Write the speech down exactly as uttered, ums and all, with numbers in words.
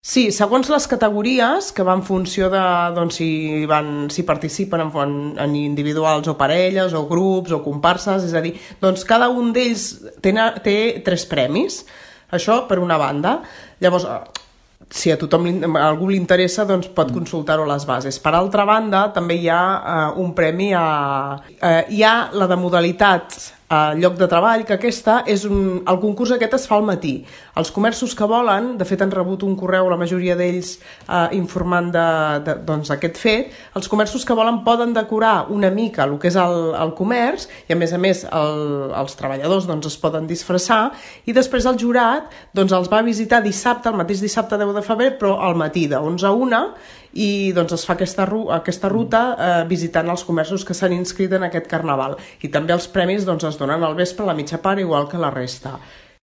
Sí, segons les categories, que va en funció de doncs, si, van, si participen en, en individuals o parelles, o grups, o comparses, és a dir, doncs cada un d'ells té, té tres premis, això per una banda. Llavors, si a tothom a algú li interessa, doncs pot consultar-ho a les bases. Per altra banda, també hi ha uh, un premi a... Uh, hi ha la de modalitat a lloc de treball, que aquesta és un... El concurs aquest es fa al matí. Els comerços que volen, de fet han rebut un correu, la majoria d'ells eh, informant de, de, doncs, aquest fet, els comerços que volen poden decorar una mica el que és el, el comerç i a més a més el, els treballadors doncs, es poden disfressar i després el jurat doncs, els va visitar dissabte, el mateix dissabte deu de febrer, però al matí de onze a una i doncs, es fa aquesta, aquesta ruta eh, visitant els comerços que s'han inscrit en aquest carnaval. I també els premis doncs, es donen al vespre a la mitja part, igual que la resta.